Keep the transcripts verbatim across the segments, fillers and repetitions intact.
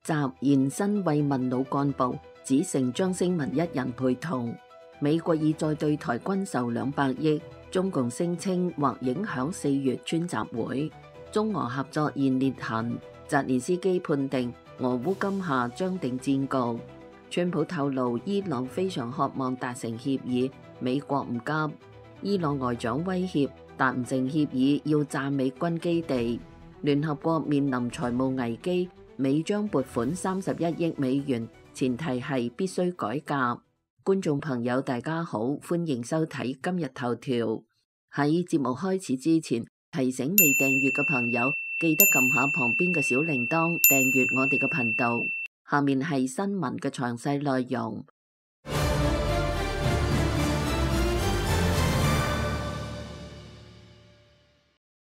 習現身慰問老幹部，只剩張星文一人陪同。美國已再對台軍售兩百億，中共聲稱或影響四月川習會。中俄合作現裂痕，澤連斯基判定俄烏今夏將定戰局。川普透露伊朗非常渴望達成協議，美國唔急。伊朗外長威脅達唔成協議要炸美軍基地。聯合國面臨財務危機，美將撥款三十一億美元，前提係必須改革。觀眾朋友大家好，歡迎收睇今日頭條。喺節目開始之前，提醒未訂閱嘅朋友記得撳下旁邊嘅小鈴鐺，訂閱我哋嘅頻道。下面係新聞嘅詳細內容。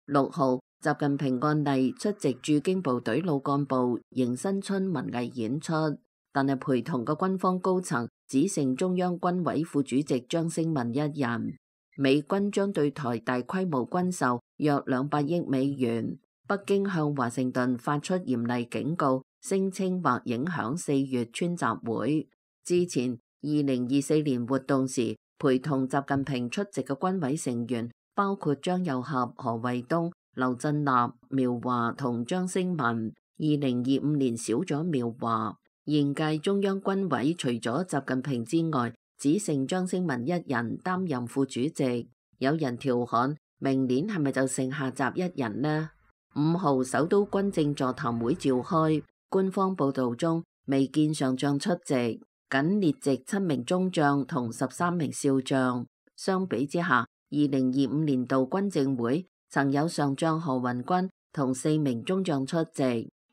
六號，習近平按例出席駐京部隊老幹部迎新春文藝演出，但係陪同嘅軍方高層只剩中央軍委副主席張星文一人。美軍將對台大規模軍售約兩百億美元，北京向華盛頓發出嚴厲警告，聲稱或影響四月川習會。之前二零二四年活動時，陪同習近平出席嘅軍委成員包括張又俠、何衛東、劉振立、苗華同張星文。二零二五年少咗苗華，現屆中央軍委除咗習近平之外，只剩張星文一人擔任副主席。有人調侃，明年係咪就剩下習一人呢？五號首都軍政座談會召開，官方報道中未見上將出席，僅列席七名中將同十三名少將。相比之下，二零二五年度軍政會曾有上將何雲軍同四名中將出席，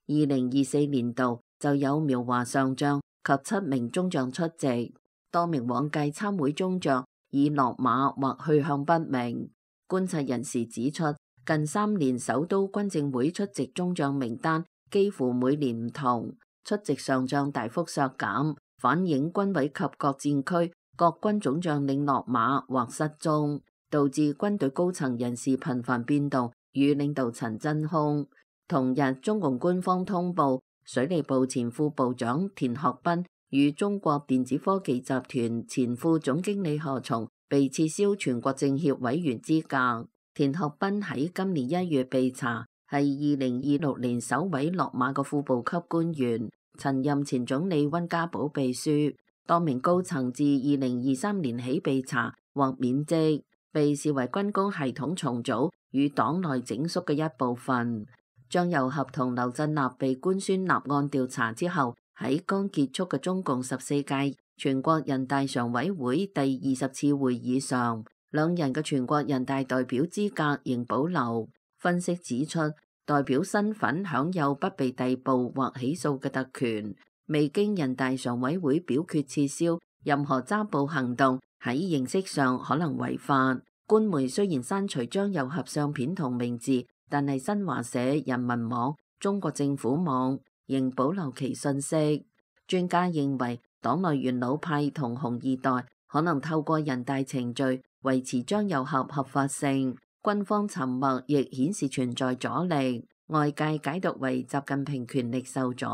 二零二四年度就有苗華上將及七名中將出席。多名往屆參會中將已落馬或去向不明。觀察人士指出，近三年首都軍政會出席中將名單幾乎每年唔同，出席上將大幅削減，反映軍委及各戰區各軍總將領落馬或失蹤，導致軍隊高層人事頻繁變動，與領導層真空。同日，中共官方通報，水利部前副部長田學斌與中國電子科技集團前副總經理何松被撤銷全國政協委員資格。田學斌喺今年一月被查，係二零二六年首位落馬嘅副部級官員，曾任前總理溫家寶秘書。多名高層自二零二三年起被查或免職，被視為軍工系統重組與黨內整肅嘅一部分。張又俠同劉振立被官宣立案調查之後，喺剛結束嘅中共十四屆全國人大常委會第二十次會議上，兩人嘅全國人大代表資格仍保留。分析指出，代表身份享有不被逮捕或起訴嘅特權，未經人大常委會表決撤銷，任何抓捕行動喺形式上可能違法。官媒雖然刪除張又俠相片同名字，但係新華社、人民網、中國政府網仍保留其信息。專家認為，黨內元老派同紅二代可能透過人大程序維持張又俠合法性。軍方沉默亦顯示存在阻力，外界解讀為習近平權力受阻，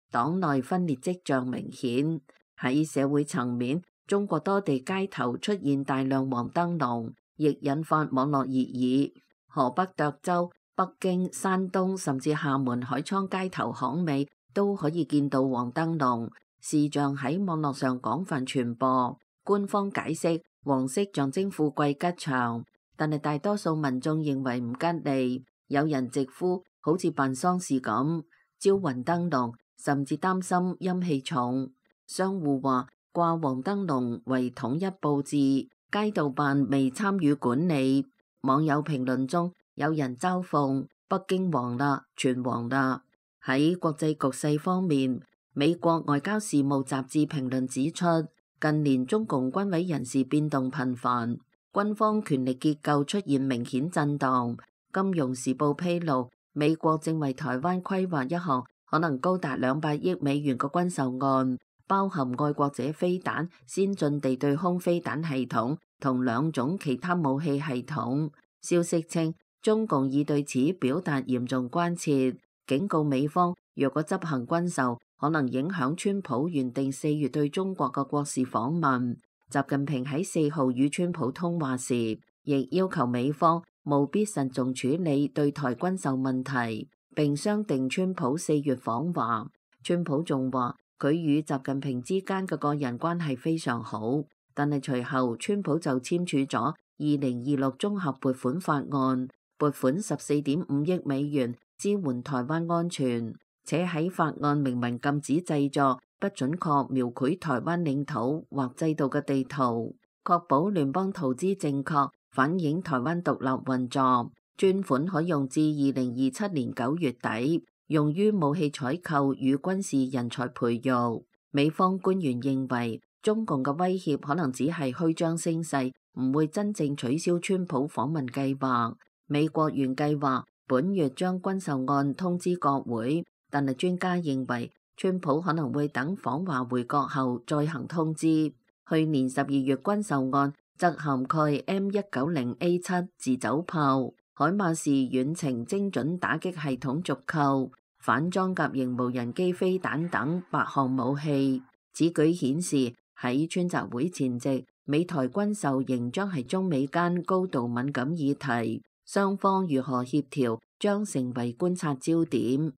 黨內分裂跡象明顯。喺社會層面，中國多地街頭出現大量黃燈籠，亦引發網絡熱議。河北涿州、北京、山東甚至廈門海滄街頭巷尾都可以見到黃燈籠，視像喺網絡上廣泛傳播。官方解釋黃色象徵富貴吉祥，但係大多數民眾認為唔吉利，有人直呼好似辦喪事咁招魂燈籠，甚至擔心陰氣重。商戶話掛黃燈籠為統一佈置，街道辦未參與管理。網友評論中有人嘲諷北京黃啦，全黃啦。喺國際局勢方面，美國外交事務雜誌評論指出，近年中共軍委人事變動頻繁，軍方權力結構出現明顯震盪。金融時報披露，美國正為台灣規劃一項可能高達兩百億美元嘅軍售案，包含愛國者飛彈、先進地對空飛彈系統同兩種其他武器系統。消息稱，中共已對此表達嚴重關切，警告美方若果執行軍售，可能影響川普原定四月對中國嘅國事訪問。習近平喺四號與川普通話時，亦要求美方務必慎重處理對台軍售問題，並商定川普四月訪華。川普仲話佢與習近平之間嘅個人關係非常好，但係隨後川普就簽署咗二零二六綜合撥款法案，撥款十四點五億美元支援台灣安全，且喺法案明文禁止製作不準確描繪台灣領土或制度嘅地圖，確保聯邦圖資正確反映台灣獨立運作。專款可用至二零二七年九月底，用於武器採購與軍事人才培育。美方官員認為，中共嘅威脅可能只係虛張聲勢，唔會真正取消川普訪問計劃。美國原計劃本月將軍售案通知國會，但係專家認為川普可能會等訪華回國後再行通知。去年十二月軍售案則涵蓋 M 一九零 A 七 自走炮、海馬士遠程精準打擊系統續購、反裝甲型無人機飛彈等八項武器。此舉顯示喺川習會前夕，美台軍售仍將係中美間高度敏感議題，雙方如何協調將成為觀察焦點。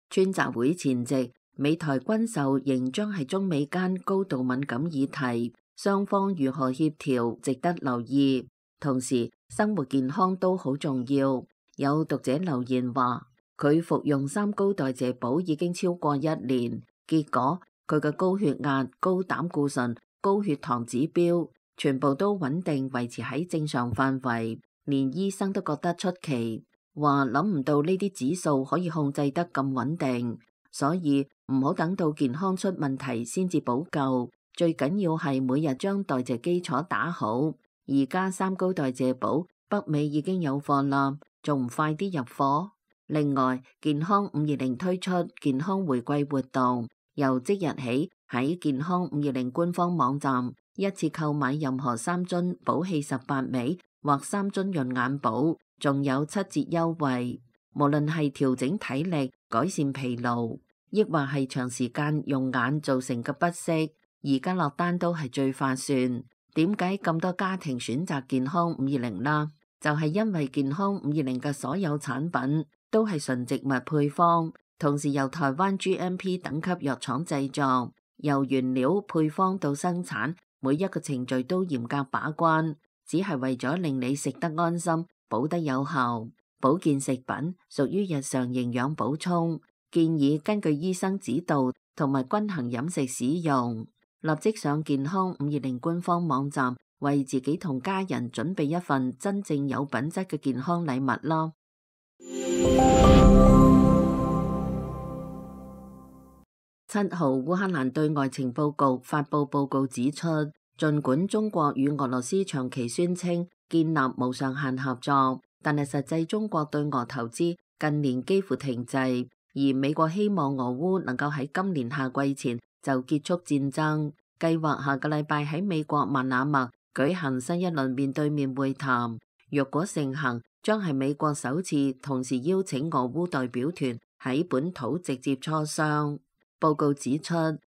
川習會前夕，美台軍售仍將係中美間高度敏感議題，雙方如何協調值得留意。同時，生活健康都好重要。有讀者留言話，佢服用三高代謝寶已經超過一年，結果佢嘅高血壓、高膽固醇、高血糖指標全部都穩定維持喺正常範圍，連醫生都覺得出奇，話諗唔到呢啲指數可以控制得咁穩定，所以唔好等到健康出問題先至補救，最緊要係每日將代謝基礎打好。而家三高代謝寶北美已經有貨啦，仲唔快啲入貨？另外，健康五二零推出健康回饋活動，由即日起喺健康五二零官方網站一次購買任何三樽寶氣十八味或三樽潤眼寶，仲有七折優惠。無論係調整體力、改善疲勞，抑或係長時間用眼造成嘅不適，而家落單都係最划算。點解咁多家庭選擇健康五二零啦？就係因為健康五二零嘅所有產品都係純植物配方，同時由台灣 G M P 等級藥廠製作，由原料配方到生產，每一個程序都嚴格把關，只係為咗令你食得安心，補得有效。保健食品屬於日常營養補充，建議根據醫生指導同埋均衡飲食使用。立即上健康五二零官方網站，為自己同家人準備一份真正有品質嘅健康禮物啦。七號，烏克蘭對外情報局發布報告指出，儘管中國與俄羅斯長期宣稱建立無上限合作，但係實際中國對俄投資近年幾乎停滯，而美國希望俄烏能夠喺今年夏季前就結束戰爭，計劃下個禮拜喺美國曼那默舉行新一輪面對面會談。若果成行，將係美國首次同時邀請俄烏代表團喺本土直接磋商。報告指出，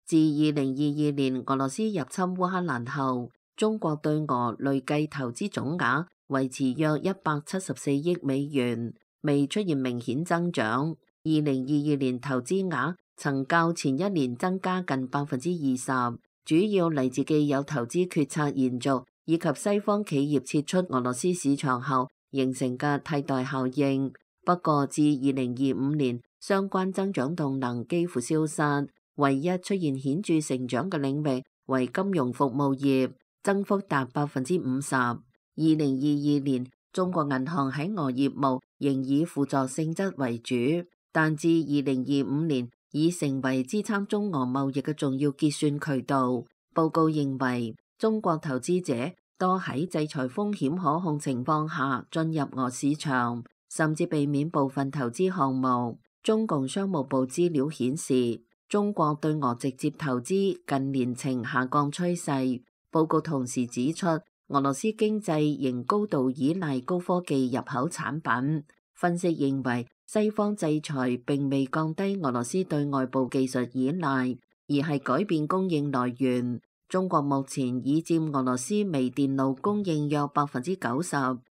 自二零二二年俄羅斯入侵烏克蘭後，中國對俄累計投資總額維持約一百七十四億美元，未出現明顯增長。二零二二年投資額曾較前一年增加近百分之二十，主要嚟自既有投資決策延續，以及西方企業撤出俄羅斯市場後形成嘅替代效應。不過，至二零二五年，相關增長動能幾乎消失，唯一出現顯著成長嘅領域為金融服務業，增幅達百分之五十。二零二二年，中國銀行喺俄業務仍以輔助性質為主，但至二零二五年已成為支撐中俄貿易嘅重要結算渠道。報告認為，中國投資者多喺制裁風險可控情況下進入俄市場，甚至避免部分投資項目。中共商務部資料顯示，中國對俄直接投資近年呈下降趨勢。報告同時指出，俄羅斯經濟仍高度依賴高科技入口產品。分析認為，西方制裁並未降低俄羅斯對外部技術依賴，而係改變供應來源。中國目前已佔俄羅斯微電路供應約百分之九十，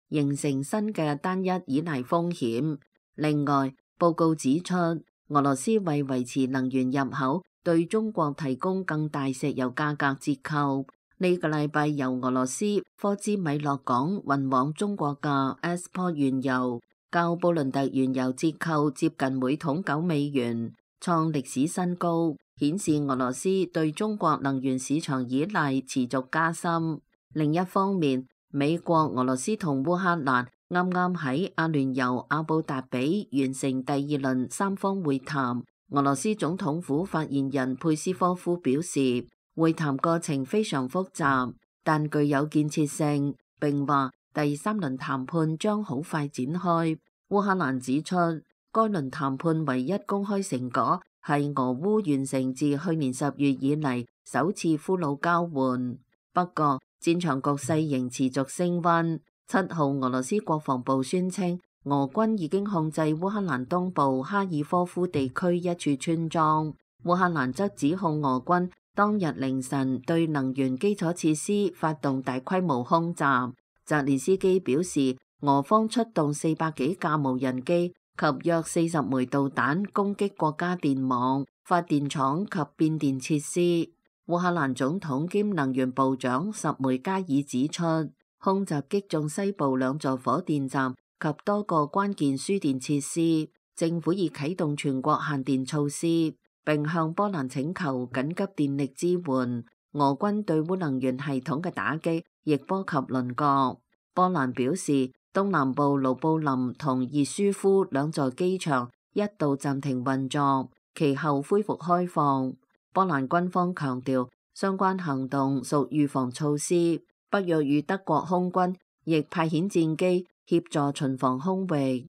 形成新嘅單一依賴風險。另外，報告指出，俄羅斯為維持能源入口，對中國提供更大石油價格折扣。呢個禮拜由俄羅斯科茲米諾港運往中國嘅 Export 原油，較布倫特原油折扣接近每桶九美元，創歷史新高，顯示俄羅斯對中國能源市場依賴持續加深。另一方面，美國、俄羅斯同烏克蘭啱啱喺阿聯酋阿布達比完成第二輪三方會談。俄羅斯總統府發言人佩斯科夫表示，會談過程非常複雜，但具有建設性，並話第三輪談判將好快展開。烏克蘭指出，該輪談判唯一公開成果係俄烏完成自去年十月以嚟首次俘虜交換。不過，戰場局勢仍持續升溫。七號，俄羅斯國防部宣稱，俄軍已經控制烏克蘭東部哈爾科夫地區一處村莊。烏克蘭則指控俄軍當日凌晨對能源基礎設施發動大規模空襲。澤連斯基表示，俄方出動四百幾架無人機及約四十枚導彈攻擊國家電網、發電廠及變電設施。烏克蘭總統兼能源部長什梅加爾指出，空襲擊中西部兩座火電站及多個關鍵輸電設施。政府已啟動全國限電措施，並向波蘭請求緊急電力支援。俄軍對烏能源系統嘅打擊亦波及鄰國。波蘭表示，東南部盧布林同熱舒夫兩座機場一度暫停運作，其後恢復開放。波蘭軍方強調，相關行動屬預防措施。北約與德國空軍亦派遣戰機協助巡防空域。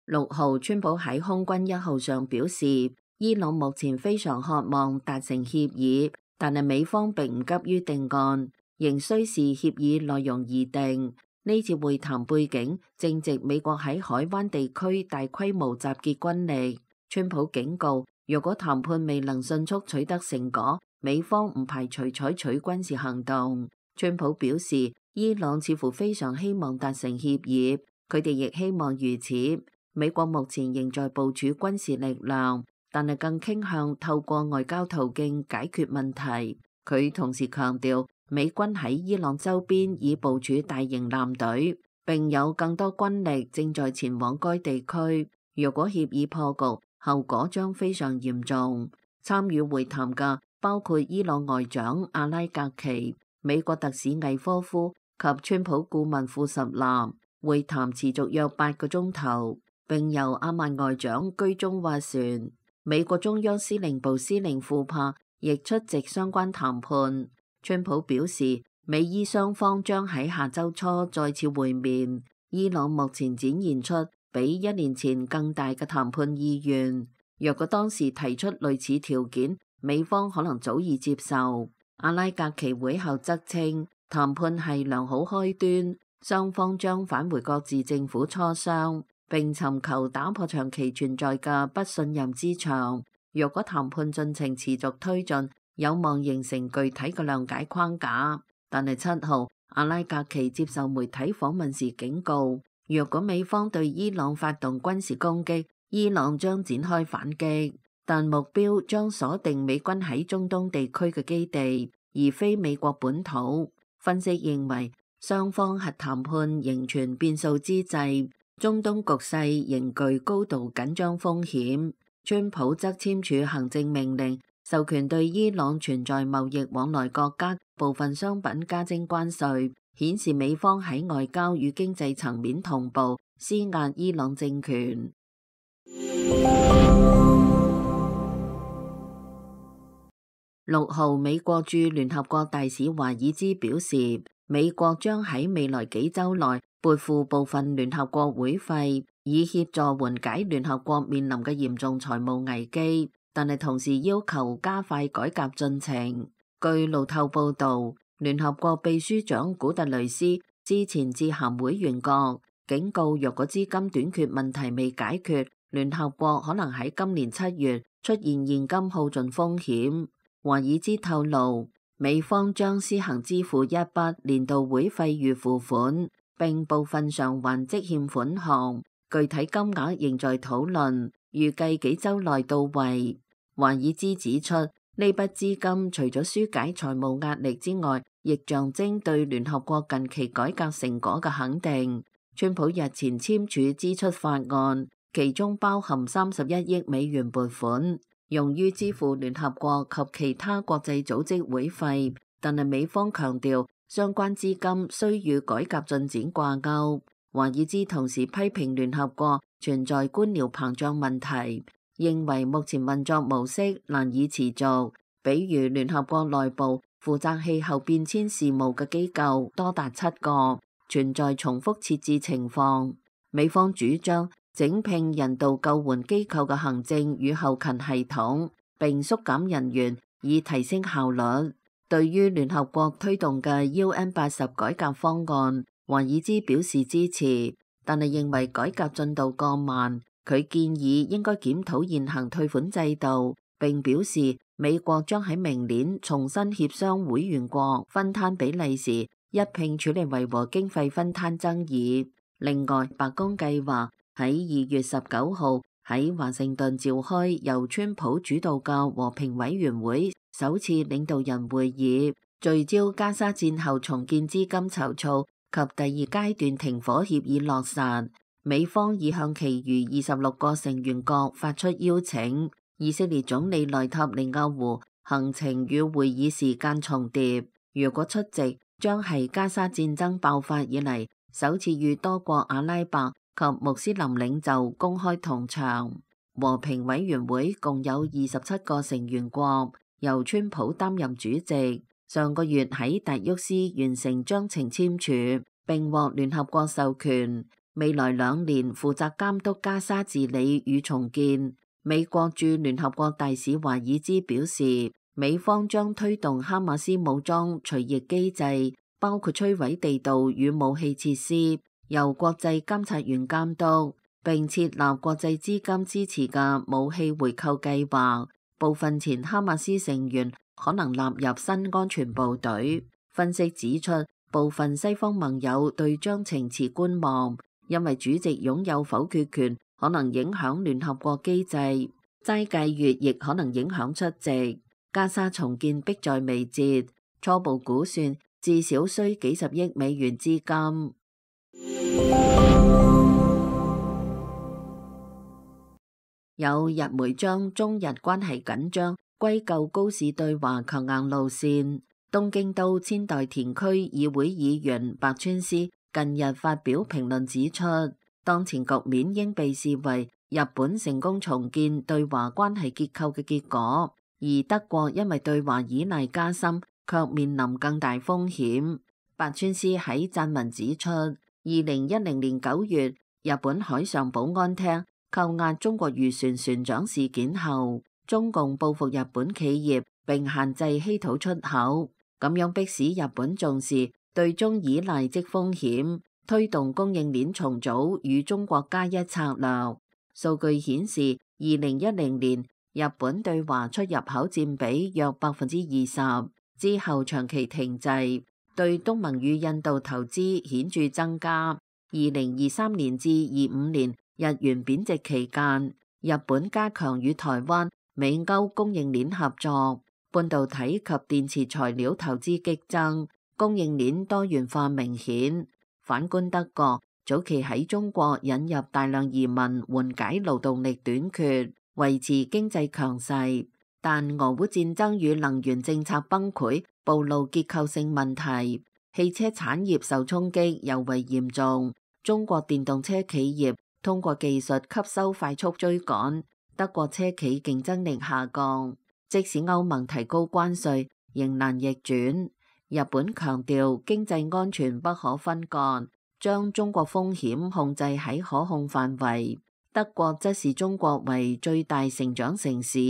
六號，川普喺空軍一號上表示，伊朗目前非常渴望達成協議，但係美方並唔急於定案，仍需視協議內容而定。呢次會談背景正值美國喺海灣地區大規模集結軍力。川普警告，若果談判未能迅速取得成果，美方唔排除採取軍事行動。川普表示，伊朗似乎非常希望達成協議，佢哋亦希望如此。美國目前仍在部署軍事力量，但係更傾向透過外交途徑解決問題。佢同時強調，美軍喺伊朗周邊已部署大型艦隊，並有更多軍力正在前往該地區。若果協議破局，後果將非常嚴重。參與會談嘅包括伊朗外長阿拉格奇、美國特使魏科夫及川普顧問庫什納。會談持續約八個鐘頭，並由阿曼外長居中斡旋。美國中央司令部司令庫珀亦出席相關談判。川普表示，美伊雙方將喺下周初再次會面。伊朗目前展現出比一年前更大嘅談判意願。若果當時提出類似條件，美方可能早已接受。阿拉格奇會後則稱，談判係良好開端，雙方將返回各自政府磋商，並尋求打破長期存在嘅不信任之牆。若果談判進程持續推進，有望形成具體嘅諒解框架。但係七號，阿拉格奇接受媒體訪問時警告，若果美方對伊朗發動軍事攻擊，伊朗將展開反擊，但目標將鎖定美軍喺中東地區嘅基地，而非美國本土。分析認為，雙方核談判仍存變數之際，中東局勢仍具高度緊張風險。川普則簽署行政命令，授權對伊朗存在貿易往來國家部分商品加徵關稅，顯示美方喺外交與經濟層面同步施壓伊朗政權。六號，美國駐聯合國大使華爾茲表示，美國將喺未來幾週內撥付部分聯合國會費，以協助緩解聯合國面臨嘅嚴重財務危機，但係同時要求加快改革進程。據路透報導，聯合國秘書長古特雷斯之前致函會員國，警告若果資金短缺問題未解決，聯合國可能喺今年七月出現現金耗盡風險。華爾茲透露，美方將先行支付一筆年度會費預付款，並部分償還積欠款項，具體金額仍在討論，預計幾週內到位。華爾茲指出，呢筆資金除咗紓解財務壓力之外，亦象徵對聯合國近期改革成果嘅肯定。川普日前簽署支出法案，其中包含三十一億美元撥款，用於支付聯合國及其他國際組織會費，但係美方強調相關資金需與改革進展掛鈎。華爾茲同時批評聯合國存在官僚膨脹問題，認為目前運作模式難以持續，比如聯合國內部負責氣候變遷事務嘅機構多達七個，存在重複設置情況。美方主張整併人道救援機構嘅行政與後勤系統，並縮減人員以提升效率。對於聯合國推動嘅 U N 八十改革方案，華爾茲表示支持，但係認為改革進度過慢。佢建議應該檢討現行退款制度，並表示美國將喺明年重新協商會員國分攤比例時，一併處理維和經費分攤爭議。另外，白宮計劃喺二月十九號喺華盛頓召開由川普主導嘅和平委員會首次領導人會議，聚焦加沙戰後重建資金籌措及第二階段停火協議落實。美方已向其餘二十六個成員國發出邀請。以色列總理內塔尼亞胡行程與會議時間重疊，如果出席，將係加沙戰爭爆發以嚟首次與多國阿拉伯及穆斯林領袖公開同場。和平委員會共有二十七個成員國，由川普擔任主席。上個月喺達沃斯完成章程簽署，並獲聯合國授權，未來兩年負責監督加沙治理與重建。美國駐聯合國大使華爾茲表示，美方將推動哈馬斯武裝除役機制，包括摧毀地道與武器設施，由國際監察員監督，並設立國際資金支持嘅武器回購計劃。部分前哈馬斯成員可能納入新安全部隊。分析指出，部分西方盟友對章程持觀望，因為主席擁有否決權，可能影響聯合國機制。齋戒月亦可能影響出席。加沙重建迫在眉睫，初步估算至少需幾十億美元資金。有日媒將中日關係緊張歸咎高市對華強硬路線。東京都千代田區議會議員白川思近日發表評論指出，當前局面應被視為日本成功重建對華關係結構嘅結果，而德國因為對華依賴加深，卻面臨更大風險。白川思喺撰文指出，二零一零年九月日本海上保安廳扣押中國漁船船長事件後，中共報復日本企業並限制稀土出口，咁樣迫使日本重視對中依賴即風險，推動供應鏈重組與中國加一策略。數據顯示，二零一零年日本對華出入口佔比約百分之二十，之後長期停滯，對東盟與印度投資顯著增加。二零二三年至二五年日元貶值期間，日本加強與台灣、美歐供應鏈合作，半導體及電池材料投資激增，供應鏈多元化明顯。反觀德國，早期喺中國引入大量移民，緩解勞動力短缺，維持經濟強勢。但俄烏戰爭與能源政策崩潰，暴露結構性問題，汽車產業受衝擊尤為嚴重。中國電動車企業通過技術吸收快速追趕，德國車企競爭力下降。即使歐盟提高關稅，仍難逆轉。日本強調經濟安全不可分割，將中國風險控制喺可控範圍。德國則視中國為最大成長城市，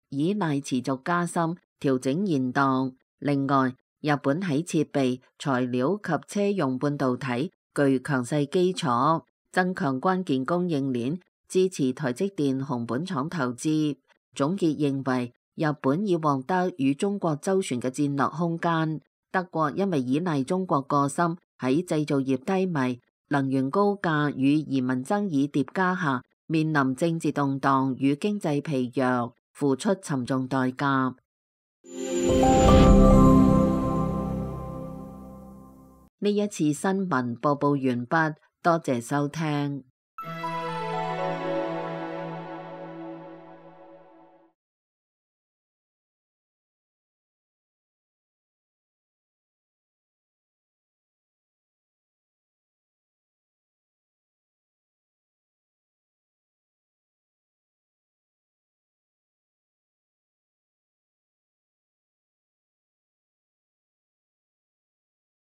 依賴持續加深調整現狀。另外，日本喺設備、材料及車用半導體具強勢基礎，增強關鍵供應鏈，支持台積電熊本廠投資。總結認為，日本已獲得與中國周旋嘅戰略空間。德國因為依賴中國過深，喺製造業低迷、能源高價與移民爭議疊加下，面臨政治動盪與經濟疲弱，付出沉重代價。呢一次新聞播報完畢，多謝收聽。